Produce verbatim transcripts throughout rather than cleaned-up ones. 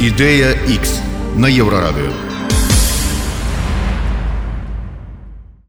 Ідэя Х на Еўрарадыё.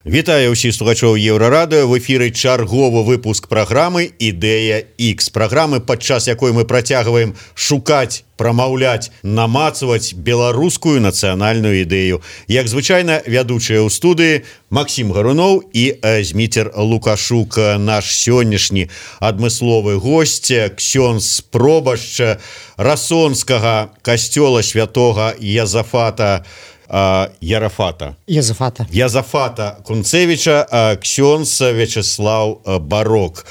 Вітаю ўсіх слухачоў Еўрарадыё. В эфіры чарговы выпуск праграмы «Ідэя Х». Праграмы, падчас якой мы працягваем шукаць, прамаўляць, намацваць беларускую нацыянальную ідэю. Як звычайна, вядучыя ў студыі Максім Гаруноў і Зміцер Лукашук. Наш сённяшні адмысловы госць, ксёндз пробашч расонскага касцёла святога Язафата Uh, Ярафата. Язафата. Язафата Кунцевича, uh, ксёндз Вячеслав uh, Барок.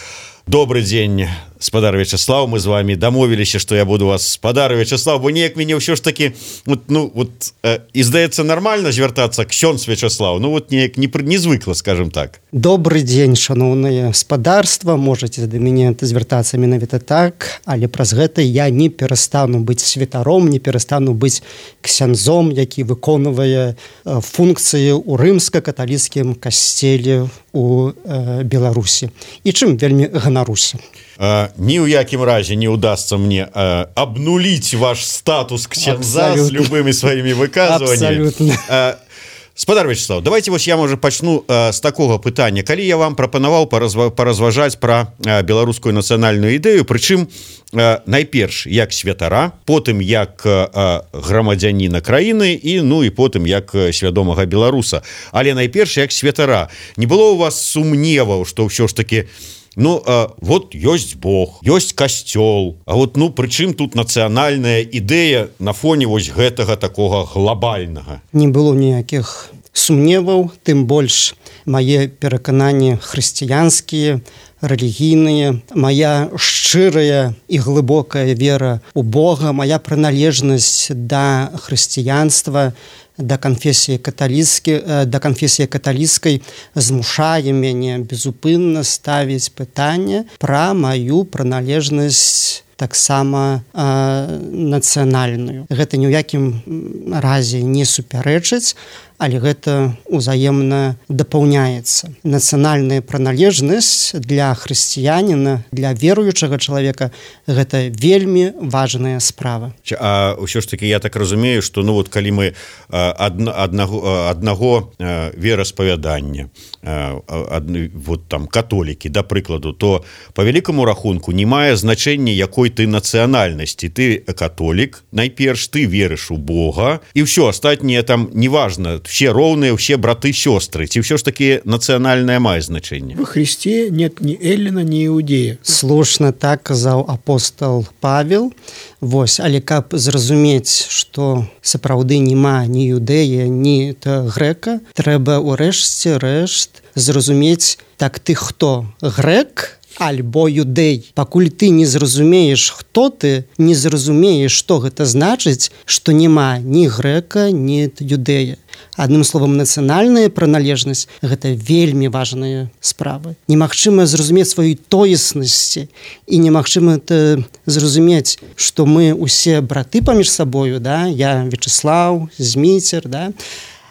Добрый день, спадар Вячеслав. Мы з вами дамовіліся, што я буду вас спадар Вячеслав, бо неяк мяне ўсё ж таки вот, ну, вот, э, і здаецца нормально звяртацца ксёндз Вячеслав, ну вот неяк не, не звыкла, скажем так. Добрый день, шановнае спадарства. Можете да мяне звяртацца менавіта так, але праз гэта я не перастану быць святаром, не перастану быць ксяндзом, які выконвае э, функцыі ў рымска-каталіцкім касцеле у э, Беларусі. І чым вельмі ганаруся. Uh, ні ў якім разе не ўдасца мне uh, абнуліць ваш статус ксяндза з любымі сваімі выказваннямі. Абсолютно. Uh, спадар Вячеслав, давайте вось я, можа, пачну uh, з такога пытання. Калі я вам прапанаваў паразва, паразважаць пра uh, беларускую нацыянальную ідэю, прычым uh, найперш як святара, потым як uh, грамадзяніна краіны і ну і потым як свядомага беларуса. Але найперш як святара. Не было ў вас сумневаў, што ўсё ж таки ну, а, вот ёсць Бог, ёсць касцёл, а вот, ну, прычым тут нацыянальная ідэя на фоне вось гэтага такога глобальнага? Не было ніякіх сумневаў, тым больш мае перакананні хрысціянскія, рэлігійныя, моя шчырая і глыбокая вера ў Бога, моя прыналежнасць да хрысціянства, да канфесіі каталіцкай, да канфесіі каталіцкай змушае мяне безупынна ставіць пытанне пра маю прыналежнасць таксама э, нацыянальную. Гэта ні ў якім разе не супярэчыць, але гэта ўзаемна дапаўняецца. Нацыянальная прыналежнасць для хрысціяніна, для веруючага чалавека гэта вельмі важная справа. А ўсё ж таки я так разумею, што ну вот калі мы адна, аднаго, аднаго вераспавядання, ад, вот там католікі, да прыкладу, то по вялікаму рахунку не мае значэння, якой ты нацыянальнасці. Ты католік, найперш ты верыш у Бога, і ўсё астатняе там неважна. Все роўныя, все браты, сёстры. Ці ўсё ж таки нацыянальнае мае значэнне? Во Христе нет ни эллина, ни иудея. Слушна так казаў апостол Павел. Вось, але каб зразумець, што сапраўды няма ні іудэя, ні грэка, трэба ўрэшце рэшт зразумець, так ты хто? Грэк альбо юдэй. Пакуль ты не зразумееш, хто ты, не зразумееш, што гэта значыць, што няма ні грэка, ні юдэя. Адным словам, нацыянальная прыналежнасць – гэта вельмі важная справа. Немагчыма зразумець сваёй тоеснасці і немагчыма зразумець, што мы усе браты паміж сабою, да? Я Вячеслав, Зміцер, да?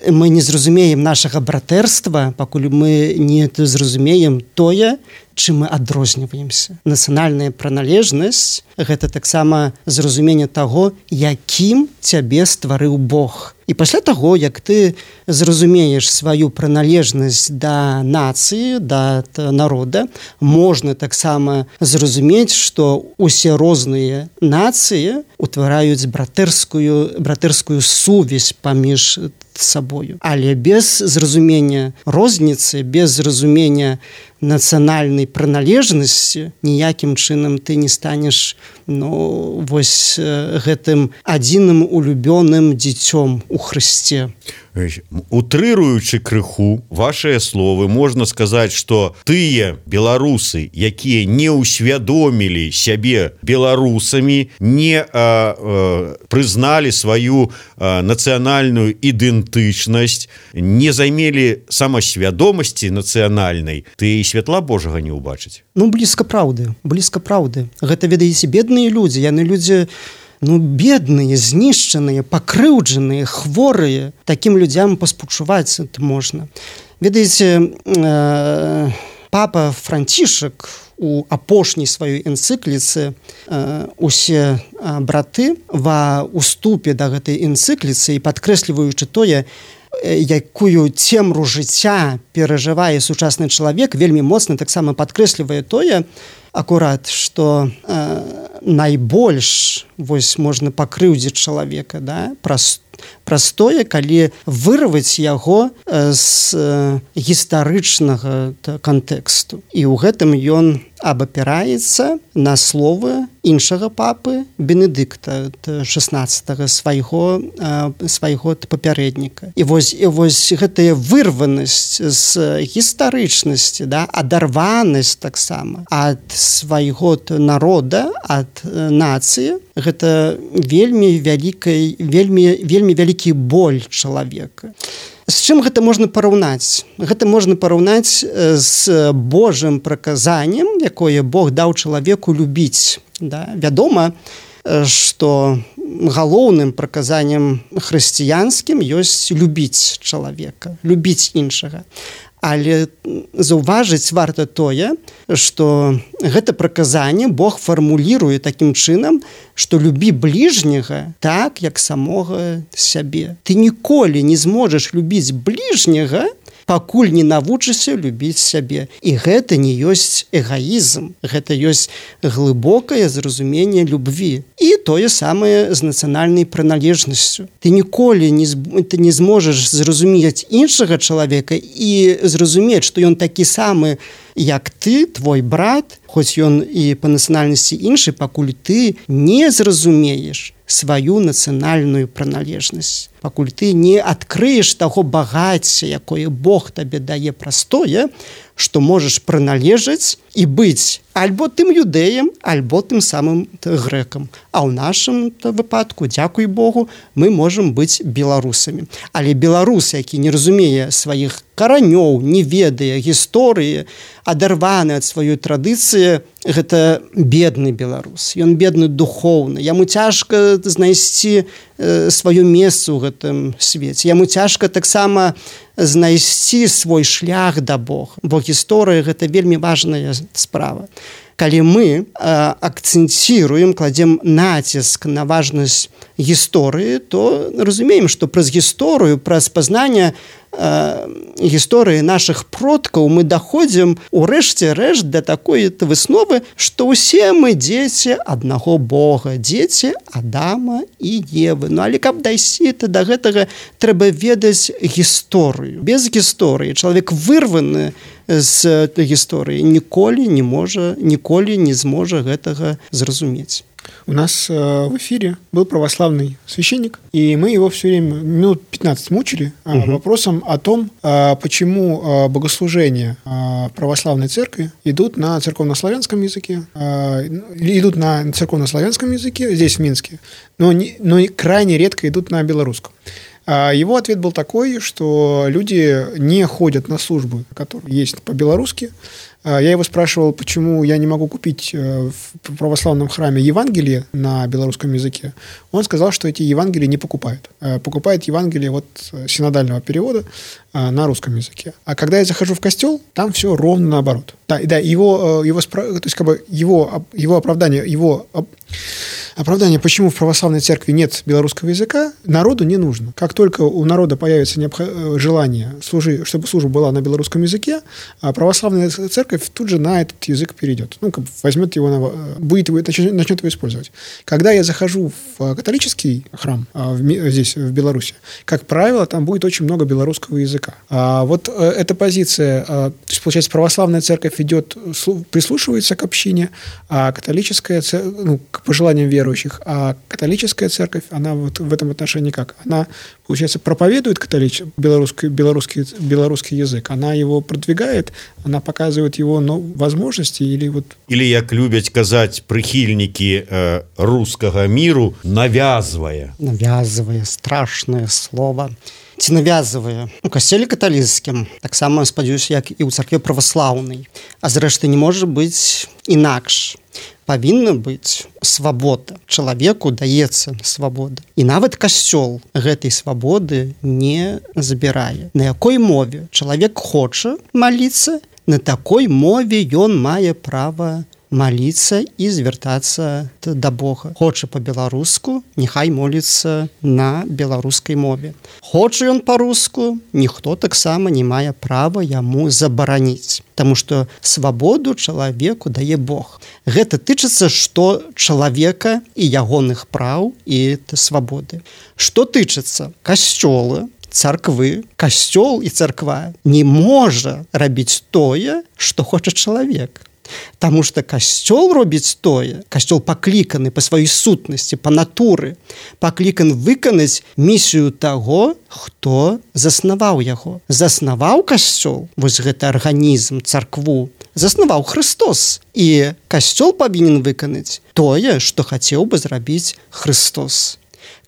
Мы не зразумеем нашага братэрства, пакуль мы не зразумеем тое, чым мы адрозніваемся. Нацыянальная прыналежнасць – гэта таксама зразуменне таго, якім цябе стварыў Бог. І пасля таго, як ты зразумееш сваю прыналежнасць да нацыі, да народа, можна таксама зразумець, што усе розныя нацыі утвараюць братэрскую, братэрскую сувязь паміж сабою. Але без зразумення розніцы, без зразумення нацыянальнай прыналежнасці ніякім чынам ты не станеш ну, вось гэтым адзіным улюбёным дзіцём у Хрысце. Утрыруючы крыху вашыя словы, можна сказаць, што тыя беларусы, якія не ўсвядомілі сябе беларусамі, не а, а, прызналі сваю а, нацыянальную ідэнтычнасць, не займелі самасвядомасці нацыянальнай, ты і святла Божага не ўбачыць. Ну, блізка праўды, блізка праўды. Гэта, ведаеце, бедныя людзі, яны людзі ну, бедныя, знішчаныя, пакрыўджаныя, хворыя. Такім людзям паспачуваць можна. Ведаеце, э, папа Францішак у апошняй сваёй энцыкліцы усе браты ва уступе да гэтай энцыкліцы і падкрэсліваючы тое, якую цемру жыцця перажывае сучасны чалавек, вельмі моцна таксама падкрэслівае тое, акурат, што э, найбольш вось можна пакрыўдзіць чалавека, да, праз простое, калі вырваць яго з гістарычнага кантэксту. І ў гэтым ён абапіраецца на словы іншага папы Бенедыкта шаснаццатага свайго свайго папярэдніка. І вось і вось гэтая вырванасць з гістарычнасці, да, адарванасць таксама ад свайго народа, ад нацыі, гэта вельмі вялікай вельмі вельмі вялікі боль чалавека. З чым гэта можна параўнаць? Гэта можна параўнаць з Божым праказаннем, якое Бог даў чалавеку любіць. Да? Вядома, што галоўным праказаннем хрысціянскім ёсць любіць чалавека, любіць іншага. Але заўважыць варта тое, што гэта праказанне Бог фармуліруе такім чынам, што любі бліжняга так, як самога сябе. Ты ніколі не зможаш любіць бліжняга, пакуль не навучышся любіць сябе. І гэта не ёсць эгоізм, гэта ёсць глыбокае зразуменне любві. І тое самае з нацыянальнай прыналежнасцю. Ты ніколі не, ты не зможаш зразумець іншага чалавека і зразумець, што ён такі самы, як ты, твой брат, хоць ён і па нацыянальнасці іншы, пакуль ты не зразумееш сваю нацыянальную прыналежнасць, пакуль ты не адкрыеш таго багацця, якое Бог табе дае простое, што можаш прыналежаць і быць альбо тым юдэем, альбо тым самым грэкам. А ў нашым выпадку, дзякуй Богу, мы можам быць беларусамі. Але беларус, які не разумее сваіх каранёў, не ведае гісторыі, адарваны ад сваёй традыцыі, гэта бедны беларус. Ён бедны духоўна. Яму цяжка знайсці э, сваё месца ў гэтым свеце. Яму цяжка таксама знайсці свой шлях да Бога. Бо гісторыя – гэта вельмі важная справа. Калі мы э, акцэнціруем, кладзем націск на важнасць гісторыі, то разумеем, што праз гісторыю, праз пазнанне э, гісторыі нашых продкаў мы даходзім у рэшце рэшт да такой высновы, што ўсе мы дзеці аднаго Бога, дзеці Адама і Евы. Ну, але каб дайсці да гэтага, трэба ведаць гісторыю. Без гісторыі чалавек вырваны з гісторыі ніколі не можа, ніколі не зможа гэтага зразумець. У нас э, в эфире был православный священник, и мы его все время минут пятнадцать мучили э, угу. вопросом о том, э, почему э, богослужения э, православной церкви идут на церковнославянском языке, э, идут на церковнославянском языке здесь, в Минске, но, не, но крайне редко идут на белорусском. Его ответ был такой, что люди не ходят на службы, которые есть по-белорусски. Я его спрашивал, почему я не могу купить в православном храме Евангелие на белорусском языке. Он сказал, что эти Евангелия не покупают. Покупают Евангелие вот синодального перевода на русском языке. А когда я захожу в костел, там все ровно наоборот. Да, да, его, его, то есть как бы его, его оправдание, его оправдание, почему в православной церкви нет белорусского языка, народу не нужно. Как только у народа появится необх... желание, служи... чтобы служба была на белорусском языке, православная церковь тут же на этот язык перейдет. Ну, как бы возьмет его, на... будет его, начнет его использовать. Когда я захожу в католический храм в... здесь, в Беларуси, как правило, там будет очень много белорусского языка. А вот эта позиция, то есть, получается, православная церковь идет, прислушивается к общине, а католическая церковь, ну, к пожеланиям веры, верующих, а католическая церковь, она вот в этом отношении как? Она, получается, проповедует католич... белорусский, белорусский, белорусский язык, она его продвигает, она показывает его ну, возможности или вот... Или, як любят казать прихильники э, русского миру, навязывая. Навязывая, страшное слово. Ці навязывае у касцёле каталіцкім, таксама, спадзяюся, як і ў царкве праваслаўнай. А зрэшты не можа быць інакш. Павінна быць свабода. Чалавеку даецца свабода. І нават касцёл гэтай свабоды не забірае. На якой мове чалавек хоча маліцца, на такой мове ён мае права молиться і звяртацца да Бога. Хоча по-беларуску, няхай моліцца на беларускай мове. Хоча ён по-руску, ніхто таксама не мае права яму забараніць, таму што свабоду чалавеку дае Бог. Гэта тычыцца што чалавека і ягоных праў і свабоды. Што тычыцца касцёла, царквы, касцёл і царква не можа рабіць тое, што хоча чалавек. Таму што касцёл робіць тое, касцёл пакліканы па сваёй сутнасці, па натуры, паклікан выканаць місію таго, хто заснаваў яго. Заснаваў касцёл, вось гэты арганізм, царкву, заснаваў Христос. І касцёл павінен выканаць тое, што хацеў бы зрабіць Христос.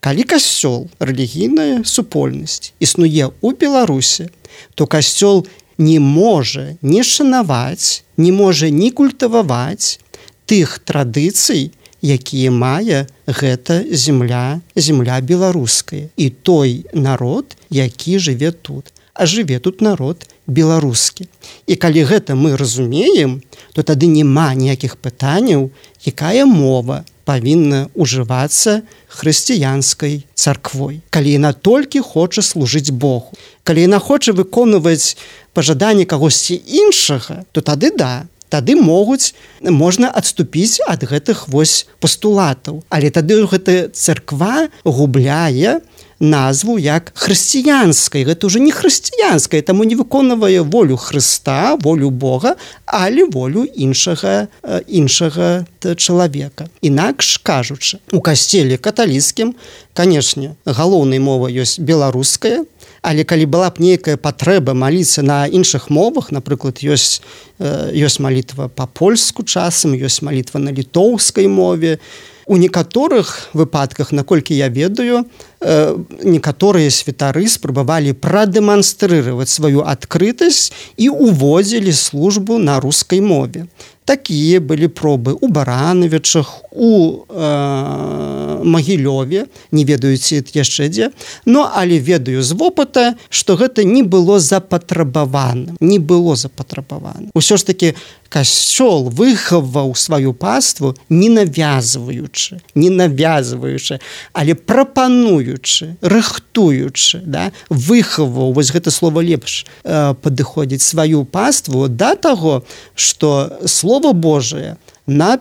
Калі касцёл, рэлігійная супольнасць, існуе ў Беларусі, то касцёл не можа не шанаваць, не можа не культываваць тых традыцый, якія мае гэта земля, земля беларуская. І той народ, які жыве тут. А жыве тут народ беларускі. І калі гэта мы разумеем, то тады няма ніякіх пытанняў, якая мова павінна ўжывацца хрысціянскай царквой. Калі яна толькі хоча служыць Богу. Калі яна хоча выконваць пажаданні кагосьці іншага, то тады да, тады могуць, можна адступіць ад гэтых вось пастулатаў. Але тады гэта царква губляе назву як хрысціянскай. Гэта ўжо не хрысціянская, таму не выконвае волю Хрыста, волю Бога, але волю іншага, іншага чалавека. Інакш кажучы, у касцеле каталіцкім, канешне, галоўнай мова ёсць беларуская, але калі была б нейкая патрэба маліцца на іншых мовах, напрыклад, ёсць, ёсць малітва па-польску часам, ёсць малітва на літоўскай мове. У некаторых выпадках, наколькі я ведаю, некаторыя святары спрабавалі прадэманстрыраваць сваю адкрытасць і уводзілі службу на рускай мове. Такія былі пробы у Барановічах, у э, Магілёве, не ведаюць яшчэ дзе, но але ведаю з вопыта, што гэта не было запатрабаваным, не было запатрабаваным. Усё ж такі касцёл выхаваў сваю паству не навязваючы, не навязваючы, але прапануючы, рыхтуючы, да, выхаваў, вось гэта слова лепш э, падыходзіць, сваю паству да таго, што слово Слово Божие на,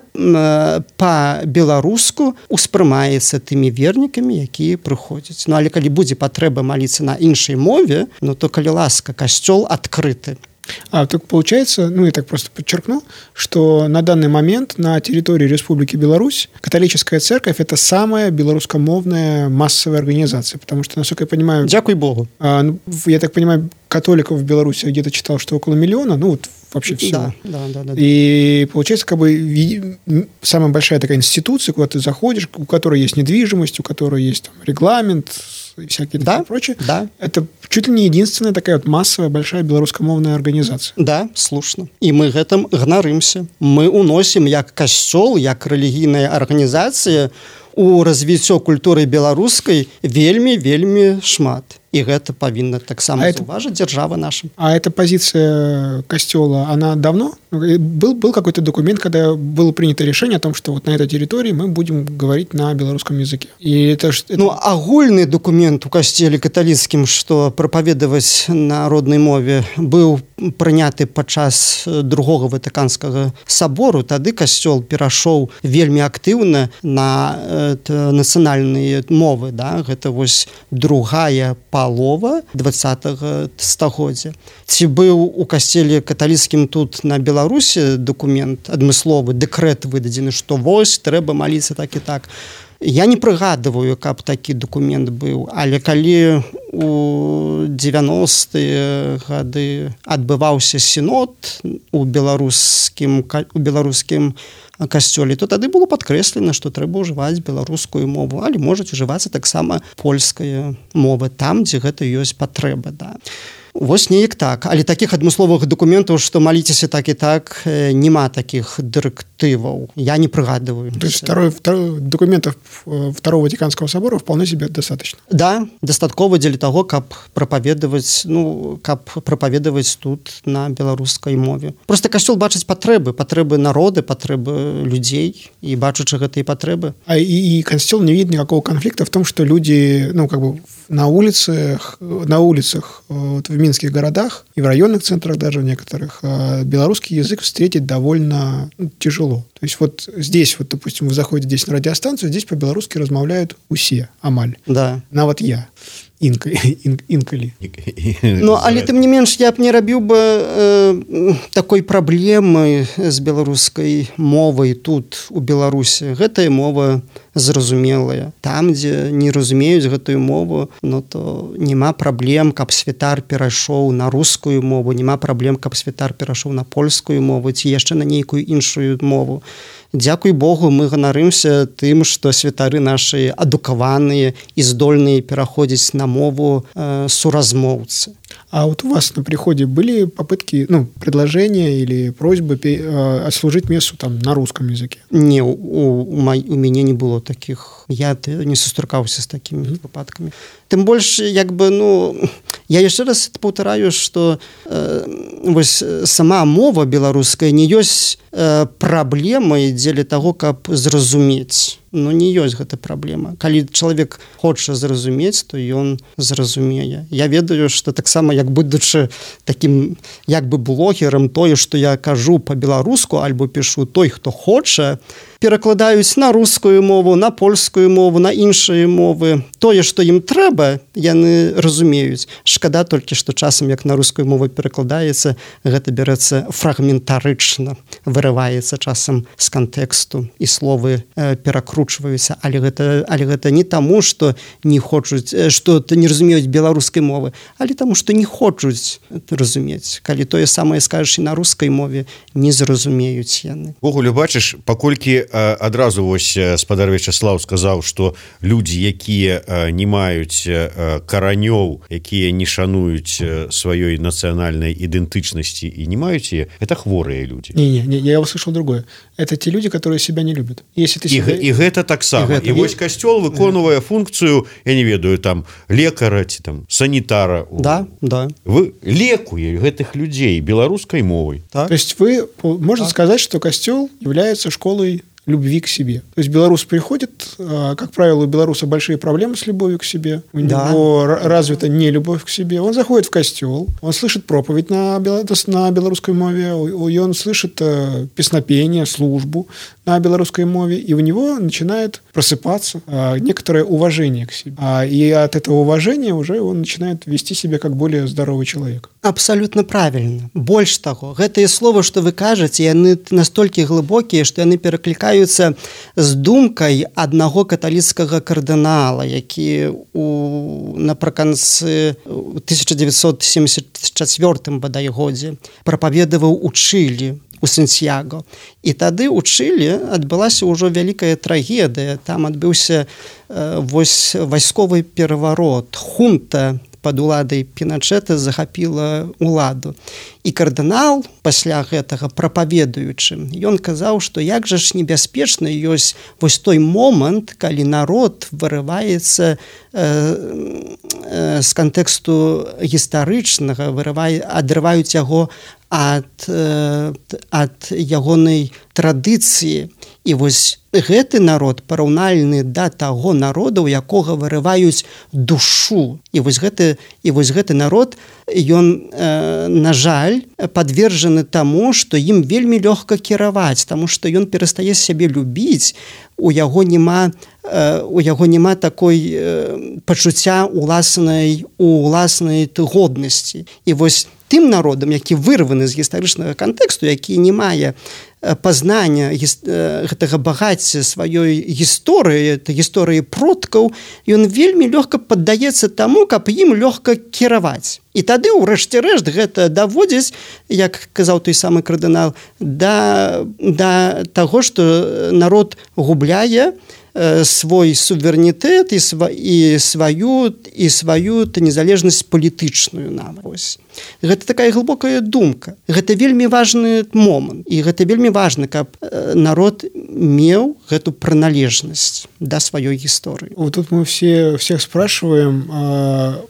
па-беларуску успрымаецца тымі вернікамі, якія прыходзяць. Ну, але калі будзе патрэба маліцца на іншай мове, ну, то, калі ласка, касцёл адкрыты. А так получается, ну я так просто подчеркну, что на данный момент на территории Республики Беларусь католическая церковь — это самая белорусскомовная массовая организация, потому что, насколько я понимаю... Дякуй Богу. А, ну, я так понимаю, католиков в Беларуси где-то читал, что около миллиона, ну вот вообще всего. Да, да, да, да. И получается, как бы самая большая такая институция, куда ты заходишь, у которой есть недвижимость, у которой есть там регламент и всякие да, такие прочее. Да. Это чуть ли не единственная такая вот массовая большая белорусскомовная организация. Да, слушно. И мы гэтым ганарымся. Мы уносим як касцёл, як рэлігійная арганізацыя у развіццё культуры беларускай вельмі, вельмі шмат. И это повинно так само а заўважыць держава наша. А эта позиция костела, она давно? Был, был какой-то документ, когда было принято решение о том, что вот на этой территории мы будем говорить на белорусском языке. И это, это... Ну, агульны документ у касцеле каталіцкім, што прапаведаваць на роднай мове, быў прыняты падчас другога ватыканскага сабору. Тады касцёл перашоў вельмі актыўна на э, нацыянальныя мовы. Да? Гэта вось другая палова двадцатага стагоддзя. Ці быў у касцеле каталіцкім тут на Беларусі документ адмысловы, дэкрэт выдадзены, што вось трэба маліцца так і так. Я не прыгадываю, каб такі документ быў, але калі у дзевяностыя гады адбываўся сінод у беларускім, у беларускім касцёле, то тады было падкрэслена, што трэба ўжываць беларускую мову, але можа ўжывацца таксама польская мова там, дзе гэта ёсць патрэба. Да. Вось неяк так, але такіх адмысловых дакументаў, што маліцеся так і так, няма такіх дырэктываў. Я не прыгадываю. То есть второй, второй, документов Второго Ватиканского собора вполне себе достаточно? Да, дастаткова дзеля таго, каб прапаведаваць, ну, каб прапаведаваць тут на беларускай мове. Просто касцёл бачыць патрэбы, патрэбы народы, патрэбы людзей, и бачачы гэтыя патрэбы. А и, и конституционно не видит никакого конфликта в том, что люди, ну, как бы на улицах, на улицах вот в минских городах и в районных центрах даже в некоторых белорусский язык встретить довольно ну, тяжело. То есть вот здесь, вот, допустим, вы заходите здесь на радиостанцию, здесь по-белорусски размаўляют усе, амаль. Да. На вот я. Інка, ін, інкалі. Ну, але тым не менш, я б не рабіў бы э, такой праблемы з беларускай мовай тут, у Беларусі. Гэтая мова зразумелая. Там, дзе не разумеюць гэтую мову, ну, то няма праблем, каб святар перайшоў на рускую мову, няма праблем, каб святар перайшоў на польскую мову ці яшчэ на нейкую іншую мову. Дзякуй Богу, мы ганарымся тым, што святары нашы адукаваныя і здольныя пераходзіць на мову э, суразмоўцы. А вот у вас на приходе были попытки, ну, предложения или просьбы э, отслужить мессу там на русском языке? Не, у, у, май, у меня не было таких. Я не сустракаўся з такими mm-hmm. выпадками. Тым больш, як бы, ну, я яшчэ раз паўтараю, што э, вось сама мова беларуская не ёсць э, праблемай дзеля таго, каб зразумець. Ну, не ёсць гэта праблема. Калі чалавек хоча зразумець, то ён зразумее. Я ведаю, што таксама, як будучы такім, як бы блогерам, тое, што я кажу па-беларуску, альбо пішу той, хто хоча, перакладаюць на рускую мову, на польскую мову, на іншыя мовы. Тое, што ім трэба, яны разумеюць. Шкада толькі, што часам, як на рускую мову перакладаецца, гэта бярэцца фрагментарычна, вырываецца часам з кантэксту, і словы э, перакручваюцца. Але гэта, але гэта не таму, што не хочуць, што не разумеюць беларускай мовы, але таму, што не хочуць разумець. Калі тое самае скажаш і на рускай мове, не зразумеюць яны. Вогуле, бачыш, паколькі адразу вось спадар Вячаслаў сказаў, што людзі, якія не маюць каранёў, якія не шануюць сваёй нацыянальнай ідэнтычнасці і не маюць яе, это хворыя людзі. Не, не, не, я услышал другое. Это те люди, которые себя не любят. Если ты себя... І, і гэта таксама. І, і вось касцёл выконвае функцыю, я не ведаю, там лекара ці там санітара. Да, да. Вы лекуе гэтых людзей беларускай мовай. Так? То есть вы, можно так. сказать, что костёл является школой любви к себе. То есть белорус приходит, как правило, у белоруса большие проблемы с любовью к себе, у да. него развита не любовь к себе, он заходит в костел, он слышит проповедь на, на белорусской мове, и он слышит песнопение, службу на белорусской мове, и у него начинает просыпаться некоторое уважение к себе. И от этого уважения уже он начинает вести себя как более здоровый человек. Абсолютно правильно. Больш таго, гэтыя словы, што вы кажаце, яны настолькі глыбокія, што яны пераклікаюцца з думкай аднаго каталіцкага кардынала, які у напрыканцы тысяча девятьсот семьдесят четвёртым бадай годзе прапаведаваў у Чылі, у Сантьяго. І тады ў Чылі адбылася ўжо вялікая трагедыя. Там адбыўся э, вось вайсковы пераварот. Хунта пад уладай Піначэта захапіла ўладу. І кардынал пасля гэтага прапаведуючы, ён казаў, што як жа ж небяспечна ёсць вось той момант, калі народ вырываецца э, э, з кантэксту гістарычнага, вырывае, адрываюць яго ад, э, ад ягонай традыцыі. І вось гэты народ параўнальны да таго народа, у якога вырываюць душу. І вось гэты, і вось гэты народ, ён, э, на жаль, падвержаны таму, што ім вельмі лёгка кіраваць, таму што ён перастае сябе любіць, у яго няма, э, у яго няма такой э, пачуцця уласнай, уласнай годнасці. І вось тым народам, які вырваны з гістарычнага кантэксту, які не мае пазнання гэтага багацця сваёй гісторыі, гісторыі продкаў, ён вельмі лёгка паддаецца таму, каб ім лёгка кіраваць. І тады, у рэшце рэшт, гэта даводзіць, як казаў той самы кардынал, да, да таго, што народ губляе э, свой суверэнітэт і, сва, і сваю і сваю незалежнасць палітычную нават. Ось. Гэта такая глыбокая думка. Гэта вельмі важны момант. І гэта вельмі важна, каб народ меў гэту прыналежнасць да сваёй гісторыі. Вот тут мы все, всех спрашиваем, а,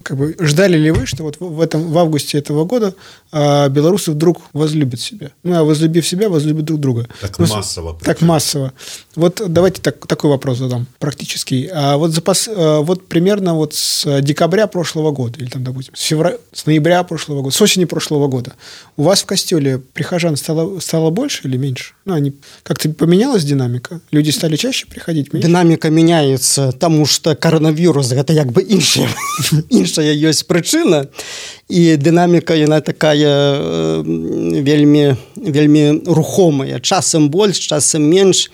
как бы, ждали ли вы, что вот в, этом, в августе этого года а, белорусы вдруг возлюбят себя? Ну, а возлюбив себя, возлюбят друг друга. Так ну, массово. Так массово. Вот давайте так, такой вопрос задам, практический. А вот, запас, а, вот примерно вот с декабря прошлого года, или там, допустим, с, февраля, с ноября прошлого года, с осени прошлого года, у вас в костеле прихожан стало, стало больше или меньше? Ну, они как-то поменялась динамика? Люди стали чаще приходить? Меньше? Динамика меняется, потому что коронавирус – это как бы іншая, іншая есть причина. І дынаміка яна такая э, вельмі, вельмі рухомая. Часам больш, часам менш.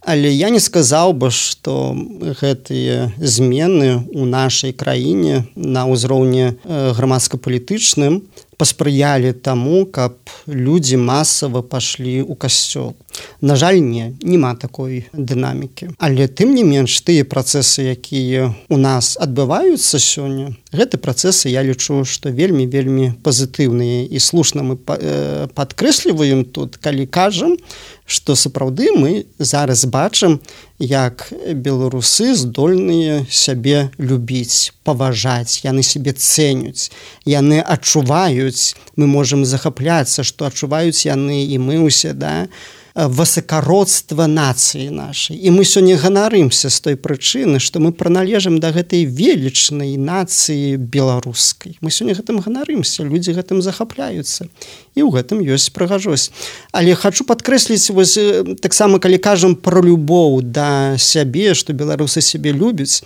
Але я не сказаў бы, што гэтыя змены ў нашай краіне на ўзроўні грамадска-палітычным паспрыялі таму, каб людзі масава пашлі ў касцёл. На жаль, не, няма такой дынамікі. Але тым не менш, тыя працэсы, якія ў нас адбываюцца сёння, гэты працэсы, я лічу, што вельмі-вельмі пазітыўныя. І слушна мы падкрэсліваем тут, калі кажам, што сапраўды мы зараз бачым, як беларусы здольныя сябе любіць, паважаць, яны сябе цэняць, яны адчуваюць, мы можам захапляцца, што адчуваюць яны і мы ўсе, да, высокородства нацыі нашай. І мы сёння ганарымся з той прычыны, што мы прыналежым да гэтай велічнай нацыі беларускай. Мы сёння гэтым ганарымся, людзі гэтым захапляюцца. І ў гэтым ёсць прыгажосць. Але хачу падкрэсліць, вось, таксама, калі кажам пра любоў да сябе, што беларусы сябе любяць,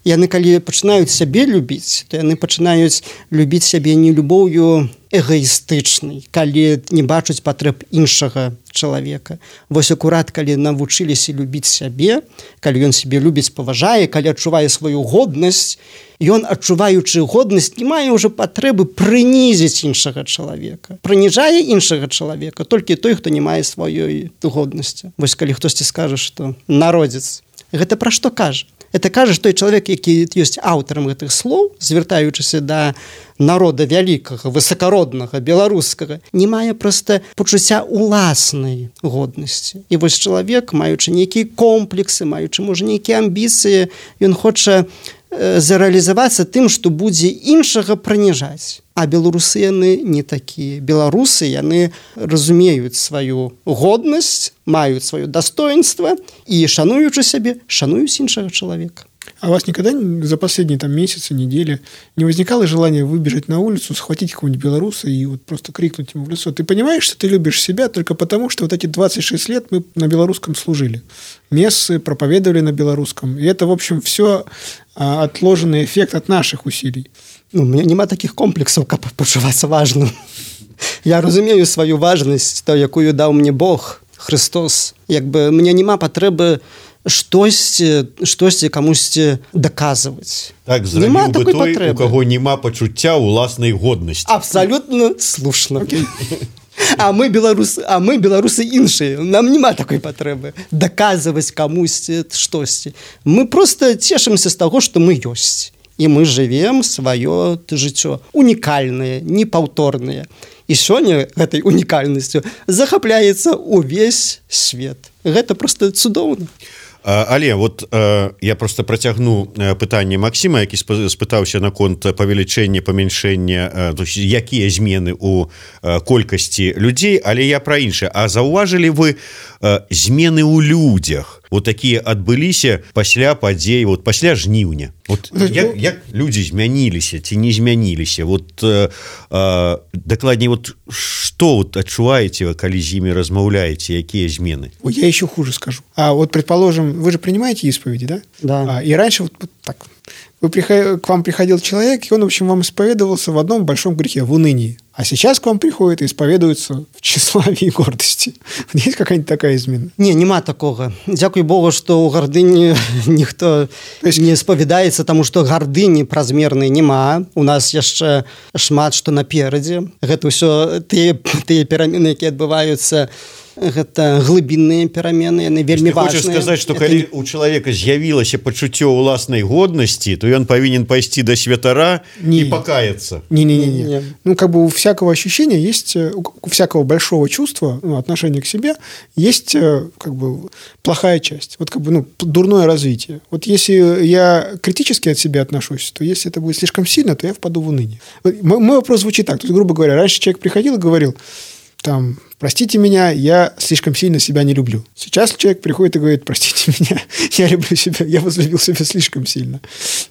яны калі пачынаюць сябе любіць, то яны пачынаюць любіць сябе не любоўю эгоістычнай, калі не бачаць патрэб іншага чалавека. Вось акурат, калі навучыліся любіць сябе, калі ён сябе любіць, паважае, калі адчувае сваю годнасць, ён, адчуваючы годнасць, не мае ўжо патрэбы прынізіць іншага чалавека. Прыніжае іншага чалавека толькі той, хто не мае сваёй годнасці. Вось калі хтосьці скажа, што народзец, гэта пра што кажа? Это кажа, што той чалавек, які ёсць аўтарам гэтых слоў, звяртаючыся да народа вялікага, высакароднага, беларускага, не мае проста пачуцця уласнай годнасці. І вось чалавек, маючы нейкія комплексы, маючы, можа, нейкія амбіцыі, ён хоча зарэалізавацца тым, што будзе іншага прыніжаць. А беларусы яны не такія. Беларусы яны разумеюць сваю годнасць, маюць сваё дастоинство і, шануючы сябе, шануюць іншага чалавека. А у вас никогда за последние там месяцы, недели не возникало желания выбежать на улицу, схватить какого-нибудь белоруса и вот просто крикнуть ему в лицо? Ты понимаешь, что ты любишь себя только потому, что вот эти двадцать шесть лет мы на белорусском служили. Мессы проповедовали на белорусском. И это, в общем, все а, отложенный эффект от наших усилий. Ну, у меня нема таких комплексов, как почуваться важным. Я разумею свою важность, то, якую дал мне Бог, Христос. Якби мне нема патрэбы штосьці, штосьці камусьці даказваць. Так зрабіў бы той, патрэбы. У каго няма пачуцця ўласнай годнасці. Абсолютно слушна. Okay. А мы беларусы, а мы беларусы іншыя. Нам няма такой патрэбы даказваць камусьці штосьці. Мы просто цешымся з таго, што мы ёсць. І мы жывем сваё жыццё унікальнае, непаўторнае. І сёння гэтай унікальнасцю захапляецца ўвесь свет. Гэта просто цудоўна. Але вот э, я просто працягну пытанне Максіма, які спытаўся наконт павелічэння, памяншэння, э, якія змены ў э, колькасці людзей, але я пра іншае. А заўважылі вы э, змены ў людзях? Вот такія адбыліся пасля падзей, вот пасля жніўня. Вот як, як людзі змяніліся ці не змяніліся? Вот э, э, дакладней, вот што вот адчуваеце, калі з імі размаўляеце, якія змены? Ой, я еще хуже скажу. А вот, предположим, вы же принимаете исповеди, да? Да. А, и раньше вот, вот так. Вы приход... К вам приходил человек, и он, в общем, вам исповедовался в одном большом грехе, в унынии. А сейчас к вам приходит и исповедуется в тщеславии и гордости. Есть какая-нибудь такая измена? Не, нема такого. Дякуй Богу, что у гордыни никто есть... не исповедается, потому что гордыни празмерной нема. У нас яшчэ шмат, что напереди. Это все те, те перамены, которые отбываются гэта глыбінныя перамены, яны вельмі важныя. Хочаш сказаць, што калі у чалавека з'явілася пачуццё ўласнай годнасці, то ён павінен пайсці да святара не. и покаяться. Не-не-не. Ну, как бы у всякого ощущения есть, у всякого большого чувства, ну, отношения к себе, есть как бы плохая часть. Вот как бы, ну, дурное развитие. Вот если я критически от себя отношусь, то если это будет слишком сильно, то я впаду в уныние. Мой, мой вопрос звучит так. То есть, грубо говоря, раньше человек приходил и говорил, там, простите меня, я слишком сильно себя не люблю. Сейчас человек приходит и говорит, простите меня, я люблю себя, я возлюбил себя слишком сильно.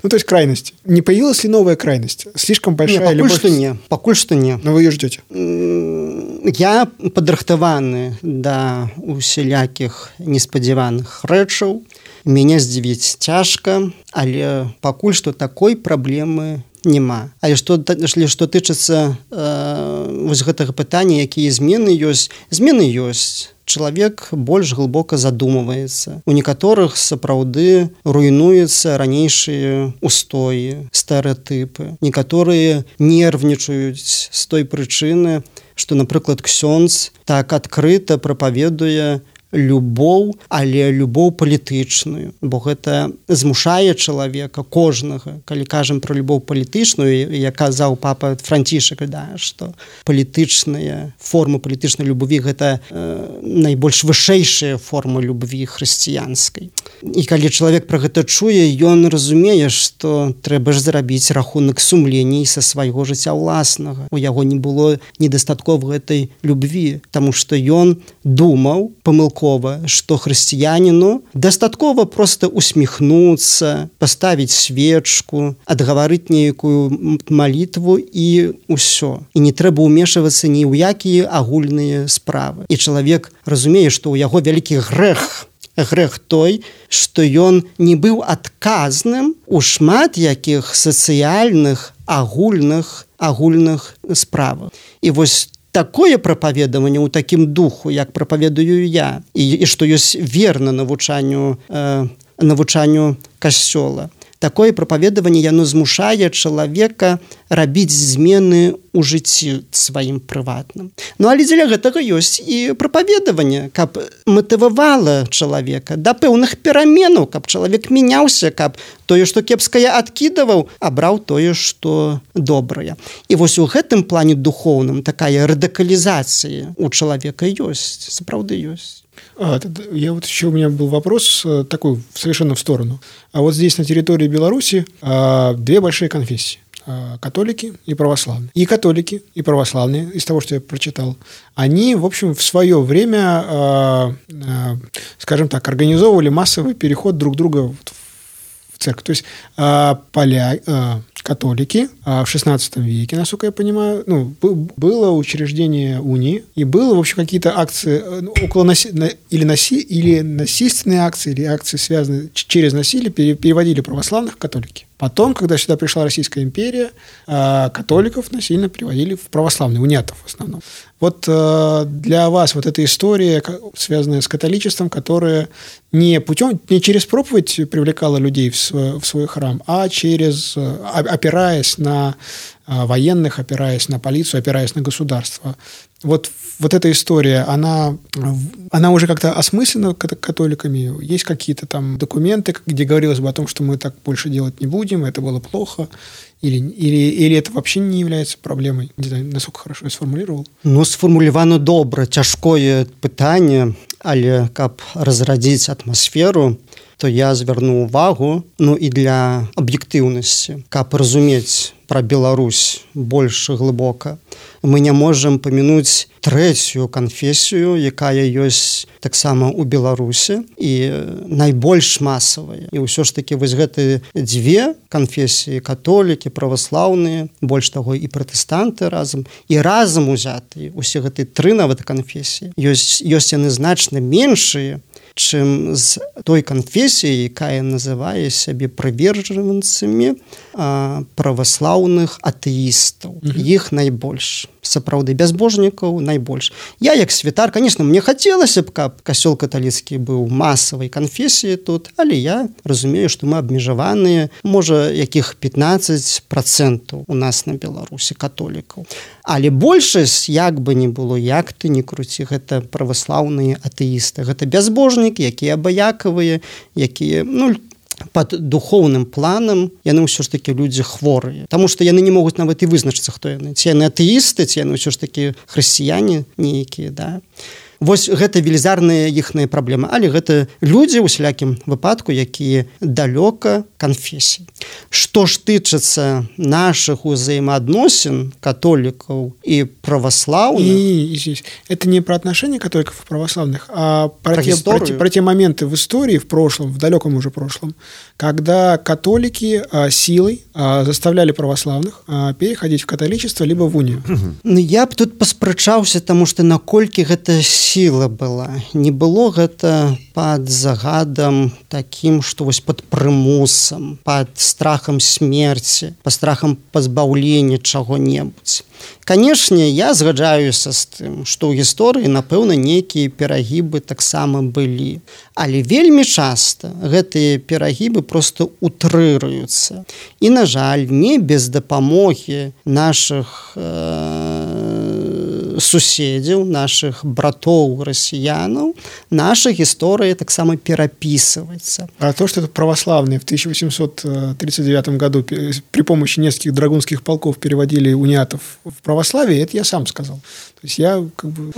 Ну, то есть крайности. Не появилась ли новая крайность? Слишком большая не, любовь? Что не, пакуль что не. Но вы ее ждете? Я падрыхтаваны да усялякіх неспадзяваных рэчаў. Мяне здзівіць цяжка, але пакуль што такой праблемы няма. Але што, што тычыцца э, вось гэтага пытання, якія змены ёсць, змены ёсць. Чалавек больш глыбока задумваецца. У некаторых сапраўды руйнуюцца ранейшыя устоі, стэрэатыпы. Некаторыя нервнічаюць з той прычыны, што, напрыклад, ксёндз так адкрыта прапаведуе любоў, але любоў палітычную, бо гэта змушае чалавека кожнага. Калі кажам пра любоў палітычную, як казаў папа Францішак, да, што палітычныя формы палітычнай любові гэта э, найбольш вышэйшая форма любві хрысціянскай. І калі чалавек пра гэта чуе, ён разумее, што трэба ж зрабіць рахунак сумлений са свайго жыцця ўласнага. У яго не было недастаткова гэтай любві, таму што ён думаў памылкова, что хрысціяніну дастаткова просто усміхнуцца, паставіць свечку, адгаварыць нейкую малітву і ўсё. І не трэба ўмешвацца ні ў якія агульныя справы. І чалавек разумее, што ў яго вялікі грэх, грэх той, што ён не быў адказным у шмат якіх сацыяльных агульных агульных справах. І вось такое прапаведаванне ў такім духу, як прапаведую я, і, і што ёсць верна навучанню, э, навучанню касцёла. Такое прапаведаванне яно змушае чалавека рабіць змены ў жыцці сваім прыватным. Ну, але дзеля гэтага ёсць і прапаведаванне, каб матывавала чалавека да пэўных пераменаў, каб чалавек мяняўся, каб тое, што кепскае адкідаваў, абраў тое, што добрае. І вось у гэтым плане духоўным такая радыкалізацыя у чалавека ёсць, сапраўды ёсць. А, я вот еще у меня был вопрос такой совершенно в сторону. А вот здесь на территории Беларуси а, две большие конфессии. А, католики и православные. И католики, и православные, из того, что я прочитал, они, в общем, в свое время, а, а, скажем так, организовывали массовый переход друг друга в церковь. То есть а, поля... А, католики а в шестнадцатом веке, насколько я понимаю, ну, было учреждение унии, и было, в общем, какие-то акции около наси... или, наси... или насильственные акции, или акции, связанные через насилие, переводили православных в католики. Потом, когда сюда пришла Российская империя, католиков насильно приводили в православные, униатов в основном. Вот для вас вот эта история, связанная с католичеством, которая не путем, не через проповедь привлекала людей в свой, в свой храм, а через, опираясь на военных, опираясь на полицию, опираясь на государство. Вот, вот эта история, она, она уже как-то осмыслена католиками? Есть какие-то там документы, где говорилось бы о том, что мы так больше делать не будем, это было плохо? Или, или, или это вообще не является проблемой? Не знаю, насколько хорошо я сформулировал. Ну, сформулировано добра. Цяжкое пытанне, але каб разрадзіць атмасферу, то я звярну увагу, ну і для аб'ектыўнасці, каб разумець пра Беларусь больш глыбока. Мы не можам памянуць трэцюю канфесію, якая ёсць таксама ў Беларусі і найбольш масавая. І ўсё ж такі вось гэтыя дзве канфесіі, католікі, праваслаўныя, больш таго і пратэстанты разам, і разам узятыя, усе гэтыя тры нават канфесіі, ёсць, ёсць яны значна меншыя, чым з той канфесіяй, якая называе сябе прывержанцамі праваслаўных атэістаў. Mm-hmm. Іх найбольш. Сапраўды, бязбожнікаў найбольш. Я, як святар, конечно, мне хацелася б, каб касцёл каталіцкі быў масавай канфесіяй тут, але я разумею, што мы абмежаваныя, можа, якіх пятнаццаць процентаў у нас на Беларусі католікаў. Але большасць, як бы не было, як ты не круці, гэта праваслаўныя атэісты. Гэта бязбожнікі, якія абыякавыя, якія, ну, пад духоўным планам яны ўсё ж такі людзі хворыя. Таму што яны не могуць нават і вызначыцца, хто яны. Ці яны атэісты, ці яны ўсё ж такі хрысціяне нейкія, да. Вось гэта велізарная іхная праблема, але гэта людзі ў усялякім выпадку, якія далёка канфесій. Што ж тычыцца нашых узаемаадносін католікаў і праваслаўных? И, и здесь это не про отношения католиков и православных, а про, про, те, про, те, про те моменты в истории, в прошлом, в далеком уже прошлом, когда католики а, силой а, заставляли православных а, переходить в католичество либо в унию. Ну, я б тут паспрачаўся, таму што наколькі гэта сила была. Не было гэта пад загадам такім, што вось пад прымусам, пад страхам смерці, пад страхам пазбаўлення чаго-небудзь. Канешне, я згаджаюся з тым, што ў гісторыі, напэўна, нейкія перагібы таксама былі. Але вельмі часта гэтыя перагібы проста утрыруюцца. І, на жаль, не без дапамогі нашых э, суседзяў, нашых братоў расіянаў, наша гісторыя таксама перапісваецца. А то, что православные в тысяча восемьсот тридцать девятом году при помощи нескольких драгунских полков переводили униатов в православие, это я сам сказал. То есть я как бы...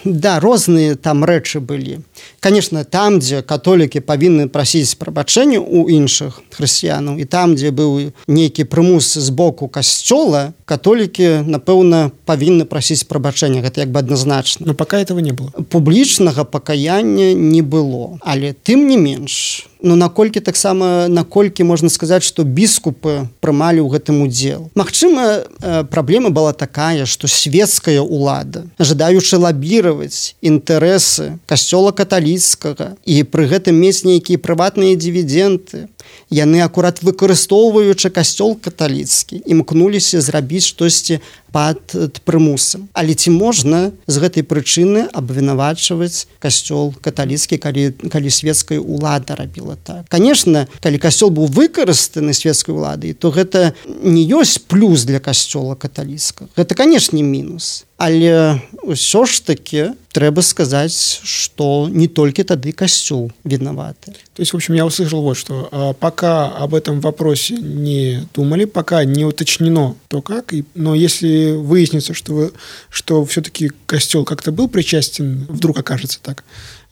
Да, розныя там рэчы былі. Конечно, там, дзе католікі павінны прасіць прабачэння ў іншых хрысціянаў, і там, дзе быў нейкі прымус з боку касцёла, католікі, напэўна, павінны прасіць прабачэння. Гэта як бы адназначна. Но пока этого не было. Публічнага пакаяння не было. Але тым не менш, ну, наколькі таксама, наколькі можна сказаць, што біскупы прымалі ў гэтым удзел. Магчыма, праблема была такая, што светская ўлада, жадаючы лабіраваць інтарэсы касцёла каталіцкага і пры гэтым мець нейкія прыватныя дывіденды, яны акурат выкарыстоўваючы касцёл каталіцкі, імкнуліся зрабіць штосьці пад прымусам. Але ці можна з гэтай прычыны абвінавачваць касцёл каталіцкі, калі, калі светская ўлада рабіла так? Конечно, калі касцёл быў выкарыстаны светскай уладай, то гэта не ёсць плюс для касцёла каталіцкага. Гэта, канешне, мінус. Але ўсё ж таки трэба сказаць, што не толькі тады касцёл вінаваты. То есть, в общем, я услышал вот что. Пока об этом вопросе не думали, пока не уточнено то как, и, но если выяснится, что, вы, что все-таки костел как-то был причастен, вдруг окажется так,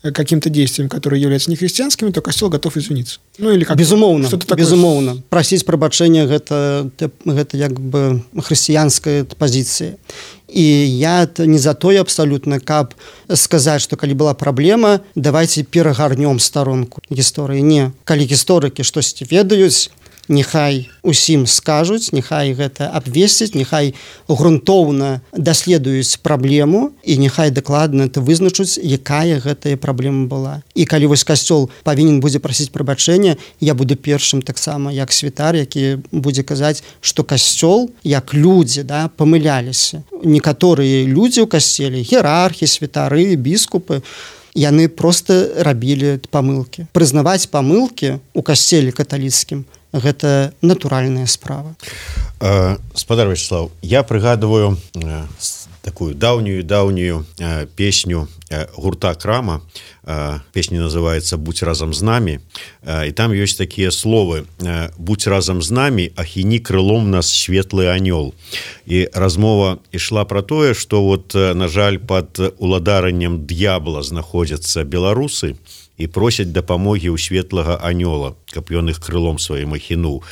каким-то действием, которые являются нехристианскими, то костел готов извиниться. Ну, или как безумоўна, что-то такое. Безумоўна. Прасіць прабачэння гэта, гэта як бы хрысціянская пазіцыя. І я не за тое абсалютна, каб сказаць, што калі была праблема, давайте перагарнём старонку гісторыі. Не, калі гісторыкі штосьці ведаюць, няхай усім скажуць, няхай гэта абвесціць, няхай грунтоўна даследуюць праблему і няхай дакладна это вызначуць, якая гэтая праблема была. І калі вось касцёл павінен будзе прасіць прабачэння, я буду першым таксама як святар, які будзе казаць, што касцёл, як людзі, да, памыляліся. Некаторыя людзі ў касцеле, іерархі, святары, біскупы, яны проста рабілі памылкі. Прызнаваць памылкі ў касцеле каталіцкім гэта натуральная справа. Э, спадар Вячеслав, я прыгадываю э, такую даўнюю-даўнюю э, песню э, гурта Крама. Э, песня называется «Будь разом с нами». Э, и там есть такие словы: э, «Будь разом с нами, ахіні крылом нас светлый анёл». И размова ішла про тое, что вот, э, на жаль, под уладараннем д'ябла знаходзяцца беларусы і просяць дапамогі ў светлага анёла, каб ён іх крылом сваім ахінуў.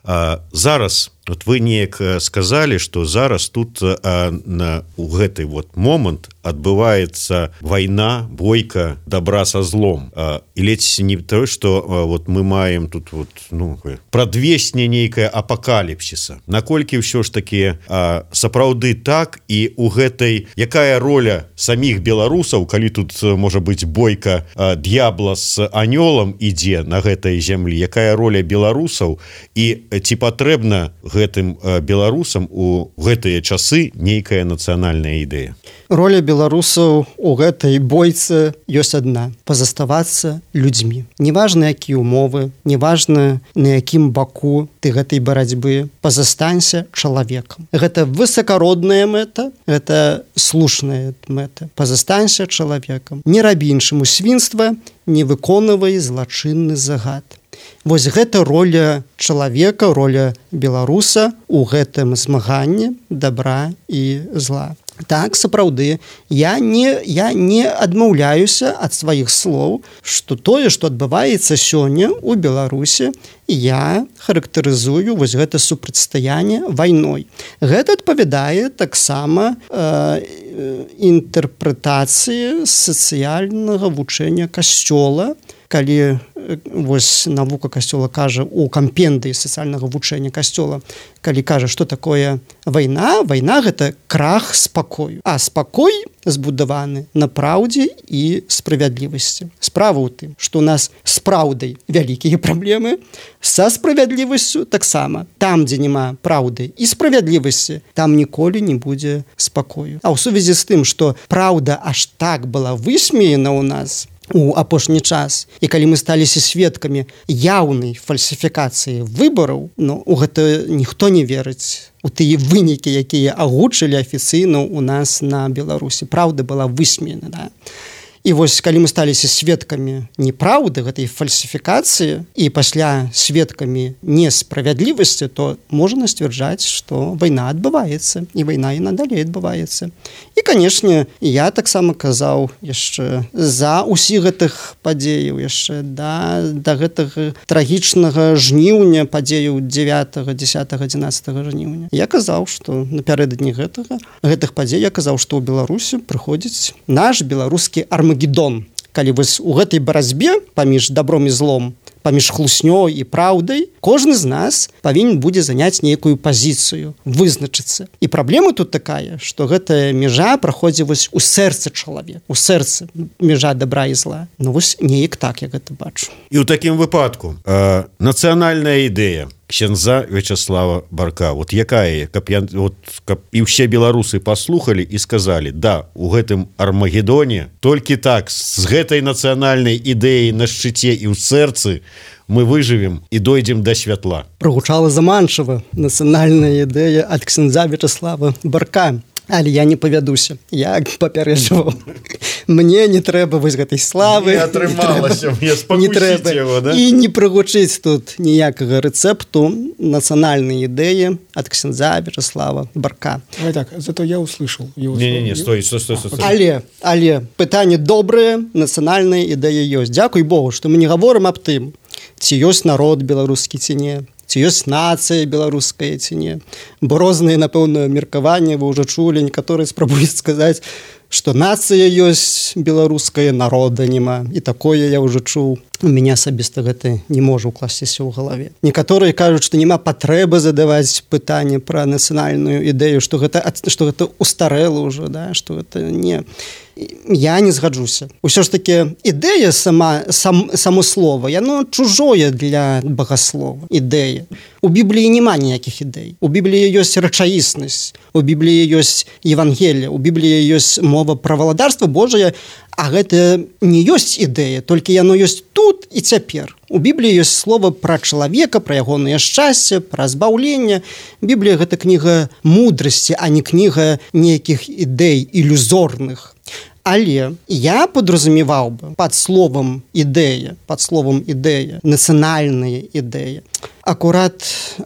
А зараз вот вы неяк сказали, что зараз тут а, на у гэты вот момант адбываецца вайна, бойка добра со злом, а, і ледзь не то, что а, вот мы маем тут вот ну прадвесне нейкае апокаліпсіса. Наколькі ўсё ж таки а, сапраўды так, і у гэтай якая роля самих беларусаў, калі тут можа быть бойка а, д'ябла с анёлам ідзе на гэтай зямлі, якая роля беларусаў, і ці патрэбна гэтым а, беларусам у гэтыя часы нейкая нацыянальная ідэя? Роля беларусаў у гэтай бойцы ёсць адна: пазаставацца людзьмі. Неважна, якія умовы, неважна, на якім баку ты гэтай барацьбы, пазастанься чалавекам. Гэта высакародная мэта, гэта слушная мэта. Пазастанься чалавекам. Не рабі іншаму свінства, не выконвай злачынны загад. Вось гэта роля чалавека, роля беларуса у гэтым змаганні добра і зла. Так, сапраўды, я не, я не адмаўляюся ад сваіх слоў, што тое, што адбываецца сёння ў Беларусі, я характарызую вось гэта супрацьстаянне вайной. Гэта адпавядае таксама э, інтэрпрэтацыі сацыяльнага вучэння Касцёла, калі вось навука Касцёла кажа у кампендыі сацыяльнага вучэння Касцёла, калі кажа, што такое вайна, вайна гэта крах спакою, а спакой збудаваны на праўдзе і справядлівасці. Справа ў тым, што у нас з праўдай вялікія праблемы, са справядлівасцю таксама. Там, дзе няма праўды і справядлівасці, там ніколі не будзе спакою. А ў сувязі з тым, што праўда аж так была высмеяна ў нас у апошні час, і калі мы сталіся сведкамі яўнай фальсіфікацыі выбараў, ну, у гэта ніхто не верыць у тыя вынікі, якія агучылі афіцыйна ў нас на Беларусі. Праўда была высмеяна, да? І вось калі мы сталіся сведкамі неправды, гэтай фальсіфікацыі, і пасля сведкамі несправядлівасці, то можна сцвярджаць, што вайна адбываецца, і вайна і надалей адбываецца. І, канешне, я таксама казаў яшчэ за ўсіх гэтых падзеяў, яшчэ да, да гэтага трагічнага жніўня падзеяў дзевятага, дзесятага, адзінаццатага жніўня. Я казаў, што напярэдадні гэтага, гэтых падзей я казаў, што ў Беларусі прыходзіць наш беларускі армагеддон. Калі вось у гэтай барацьбе паміж добром і злом, паміж хлуснёй і праўдай, кожны з нас павінен будзе заняць нейкую пазіцыю, вызначыцца. І праблема тут такая, што гэтая мяжа праходзіць вось у сэрцы чалавека, у сэрцы мяжа добра і зла. Ну вось неяк так я гэта бачу. І ў такім выпадку э, нацыянальная ідэя ксяндза Вячаслава Барка, вот якая, каб, я, вот, каб і ўсе беларусы паслухалі і сказалі: да, у гэтым армагеддоне толькі так, з гэтай нацыянальнай ідэяй на шчыце і ў сэрцы мы выжывем і дойдзем да святла. Прагучала заманчыва нацыянальная ідэя ад ксяндза Вячаслава Барка. Але я не павядуся, я папярэджваў. Мне не трэба вось гэтай славы. Не атрымалася, мне спакусіць яго, да? І не прагучыць тут ніякага рэцэпту нацыянальнай ідэі ад ксяндза Вячаслава Барка. Давай так, зато я услышал его. Не-не-не, стой, стой, стой, стой. Але, але пытанне добрае, нацыянальная ідэя ёсць. Дзякуй Богу, што мы не гаворым аб тым, ці ёсць народ беларускі, ці не. Ці ёсць нацыя беларуская, ці не. Бо розныя, напэўна, меркаванні вы ўжо чулі, некаторыя спрабуюць сказаць, што нацыя ёсць беларуская, народа няма. І такое я ўжо чуў. У мяне асабіста гэта не можа ўкласціся ў галаве. Некаторыя кажуць, што няма патрэбы задаваць пытанне пра нацыянальную ідэю, што гэта, што гэта устарэла ўжо, да? Што гэта не... Я не згаджуся. Усё ж таки ідэя сама, сам, само слово, яно чужое для багаслова. Ідэя. У Бібліі няма ніякіх ідэй. У Бібліі ёсць рэчаіснасць. У Бібліі ёсць Евангелие. У Бібліі ёсць мова пра валадарства Божае, а гэта не ёсць ідэя, толькі яно ёсць тут і цяпер. У Бібліі ёсць слова пра чалавека, пра ягонае шчасце, пра збаўленне. Біблія гэта кніга мудрасці, а не кніга нейкіх ідэй ілюзорных. Але я подразумеваў бы пад словам ідэя, пад словам ідэя, нацыянальная ідэя. Акурат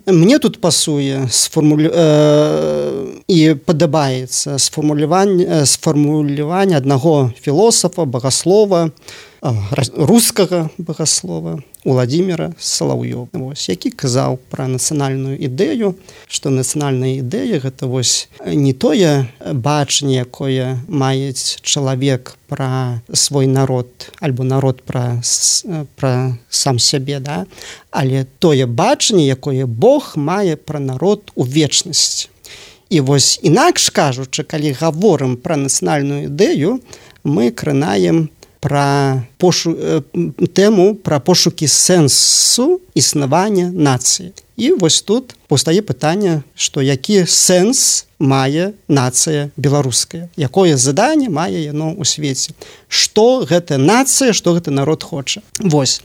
мне тут пасуе сформулю... э... і падабаецца сфармуляванне сфармуляванне аднаго філосафа, багаслова, рускага багаслова, Уладзіміра Салаўёва, вось, які казаў пра нацыянальную ідэю, што нацыянальная ідэя гэта вось не тое бачанне, якое мае чалавек пра свой народ альбо народ пра, пра сам сябе, да? Але тое бачанне, якое Бог мае пра народ у вечнасці. І вось інакш кажучы, калі гаворым пра нацыянальную ідэю, мы кранаем пра пошу... тэму пра пошукі сэнсу існавання нацыі. І вось тут паўстае пытанне, што які сэнс мае нацыя беларуская, якое заданне мае яно ў свеце, што гэта нацыя, што гэта народ хоча. Вось.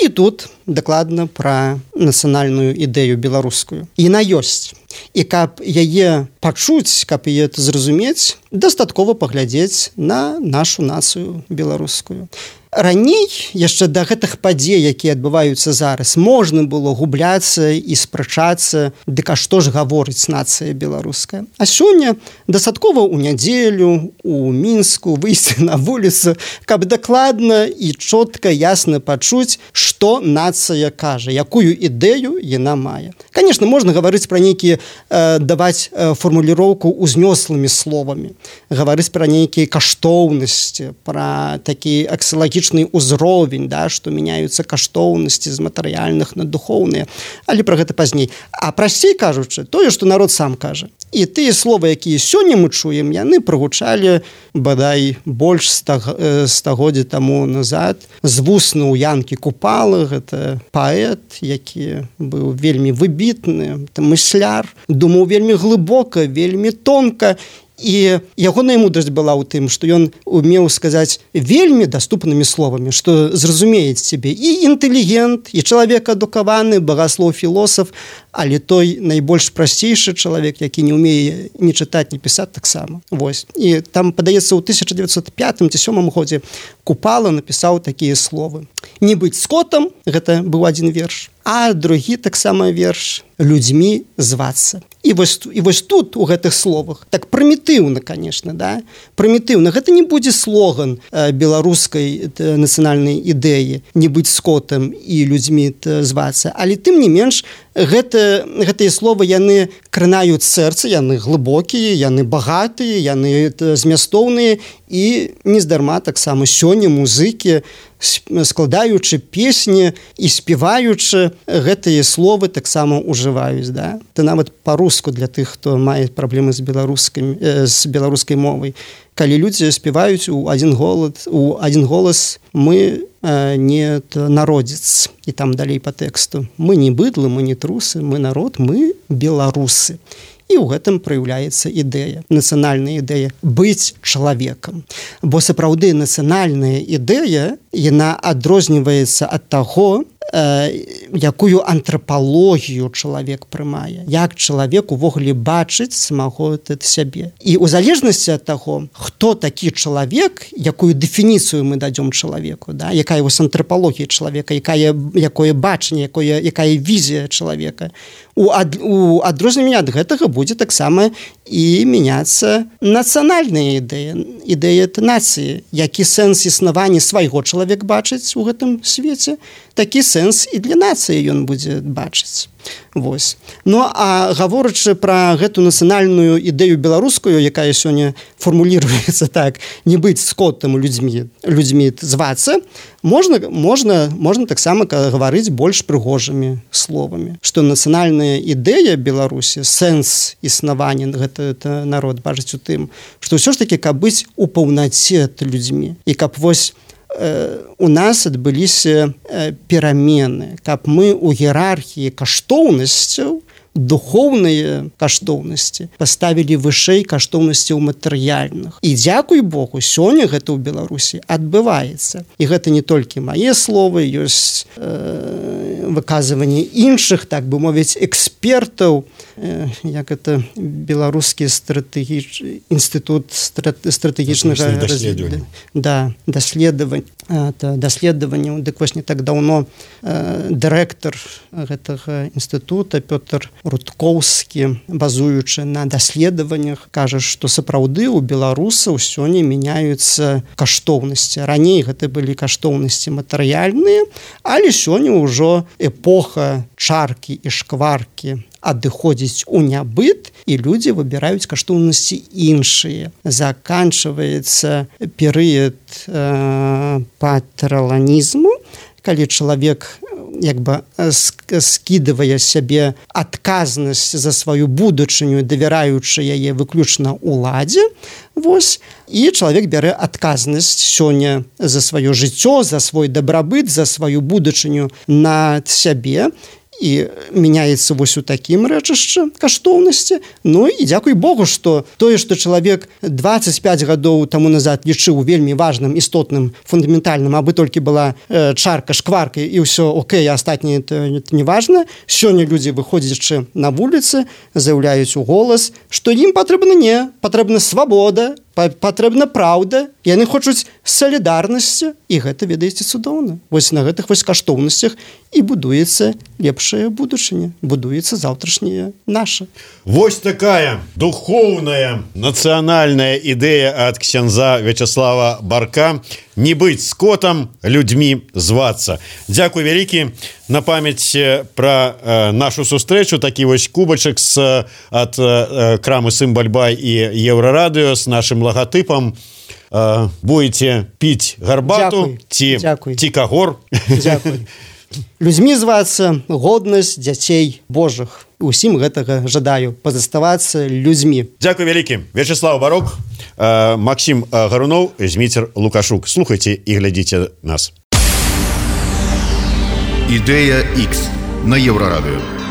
І тут дакладна пра нацыянальную ідэю беларускую. Яна ёсць. І каб яе пачуць, каб яе зразумець, дастаткова паглядзець на нашу нацыю беларускую. Раней, яшчэ да гэтых падзей, якія адбываюцца зараз, можна было губляцца і спрачацца, дык а што ж гаворыць нацыя беларуская. А сёння дастаткова ў нядзелю, у Мінску выйсці на вуліцу, каб дакладна і чётка, ясна пачуць, што нацыя кажа, якую ідэю яна мае. Конечно, можна гаварыць пра нейкія, э, даваць э, фармуліроўку узнёслымі словамі, гаварыць пра нейкія каштоўнасці, пра такі аксілагічны ўзровень, да, што мяняюцца каштоўнасці з матэрыяльных на духоўныя, але пра гэта пазней. А прасцей кажучы, тое, што народ сам кажа. І тыя словы, якія сёння мы чуем, яны прагучалі бадай больш стагоддзя таму назад з вусна ў Янкі Купалы. Гэта паэт, які быў вельмі выбітны, мысляр, думаў вельмі глыбока, вельмі тонка. І ягоная мудрасць была ў тым, што ён умеў сказаць вельмі даступнымі словамі, што зразумеюць цябе і інтэлігент, і чалавек адукаваны, багаслоў, філосаф, але той найбольш прасцейшы чалавек, які не ўмее ні чытаць, ні пісаць таксама. Вось. І там, падаецца, ў тысяча дзевяцьсот пятым ці сёмым годзе Купала напісаў такія словы. Не быць скотам, гэта быў адзін верш, а другі таксама верш людзьмі звацца. І вось, і вось тут у гэтых словах так прымітыўна, конечно, да? Прымітыўна. Гэта не будзе слоган э, беларускай э, нацыянальнай ідэі не быць скотам і людзьмі звацца, але тым не менш гэта, гэтыя словы яны кранаюць сэрца, яны глыбокія, яны багатыя, яны змястоўныя і нездарма таксама сёння музыкі складаючы песні і спеваючы гэтыя словы таксама ужываюць, да? Ты нават па-руску для тых, хто мае праблемы з беларускай, э, з беларускай мовай. Калі людзі спеваюць у адзін голас, у адзін голас мы э, не народзец, і там далей па тэксту. Мы не быдлы, мы не трусы, мы народ, мы беларусы. І ў гэтым праяўляецца ідэя, нацыянальная ідэя быць чалавекам. Бо сапраўды нацыянальная ідэя, яна адрозніваецца ад таго, э, якую антрапалогію чалавек прымае, як чалавек увогуле бачыць самого сябе. І ў залежнасці ад таго, хто такі чалавек, якую дэфініцыю мы дадзём чалавеку, да? Якая вось антрапалогія чалавека, якая, якое бачанне, якое, якая візія чалавека. У, ад, у адрозненне ад гэтага будзе таксама і мяняцца нацыянальная ідэя, ідэя нацыі, які сэнс існавання свайго чалавек бачыць у гэтым свеце, такі сэнс і для нацыі ён будзе бачыць. Вось. Ну, а гаворачы пра гэту нацыянальную ідэю беларускую, якая сёння фармуліруецца так, не быць скотам людзьмі, людзьмі звацца, можна, можна, можна таксама гаварыць больш прыгожымі словамі, што нацыянальная ідэя Беларусі, сэнс існавання гэта народ бачыць у тым, што ўсё ж такі, каб быць у паўнаце людзьмі, і каб вось у нас адбыліся перамены, каб мы ў іерархіі каштоўнасцяў, духоўныя каштоўнасці паставілі вышэй каштоўнасцяў матэрыяльных. І дзякуй Богу, сёння гэта ў Беларусі адбываецца. І гэта не толькі мае словы, ёсць э, выказыванні іншых, так бы мовіць, экспертаў, як это беларускі стратэгіч... інстытут страт... стратэгічнага даследавання. Да, даследавання. даследаванняў. Дык вось не так даўно э, дырэктар гэтага інстытута Пётр Рудкоўскі, базуючы на даследаваннях, кажа, што сапраўды ў беларусаў сёння мяняюцца каштоўнасці. Раней гэта былі каштоўнасці матэрыяльныя, але сёння ўжо эпоха чаркі і шкваркі адыходзіць у нябыт, і людзі выбіраюць каштоўнасці іншыя. Заканчваецца перыяд э, патраланізму, калі чалавек як бы скідывае сябе адказнасць за сваю будучыню, давяраючы яе выключна ўладзе. Вось, і чалавек бярэ адказнасць сёння за сваё жыццё, за свой дабрабыт, за сваю будучыню над сябе, і мяняецца вось у такім рэчышчы каштоўнасці. Ну і дзякуй Богу, што тое, што чалавек дваццаць пяць гадоў таму назад лічыў вельмі важным, істотным, фундаментальным, абы толькі была э, чарка, шкварка і ўсё окей, а астатняе это, это не важна. Сёння людзі, выходзячы на вуліцы, заяўляюць у голас, што ім патрэбна не, патрэбна свабода, патрэбна праўда, яны хочуць салідарнасці, і гэта, ведаеце, цудоўна. Вось на гэтых вось каштоўнасцях і будуецца лепшая будучыня, будуецца заўтрашняе наша. Вось такая духоўная нацыянальная ідэя ад ксяндза Вячаслава Барка: не быць скотам, людзьмі звацца. Дзякуй вялікі. На памяць пра э, нашу сустрэчу такі вось кубачак з ад э, крамы Сымбальбай і Еўрарадыё з нашым лагатыпам. Э, будете піць гарбату ці, ці кагор. Дзякуй. Людзьмі звацца, годнасць дзяцей Божых. Усім гэтага жадаю, пазаставацца людзьмі. Дзякуй вялікі. Вячеслав Барок, э, Максим Гарунов, Зміцер Лукашук. Слухайце і глядзіце нас. Ідэя Х на Еўрарадыё.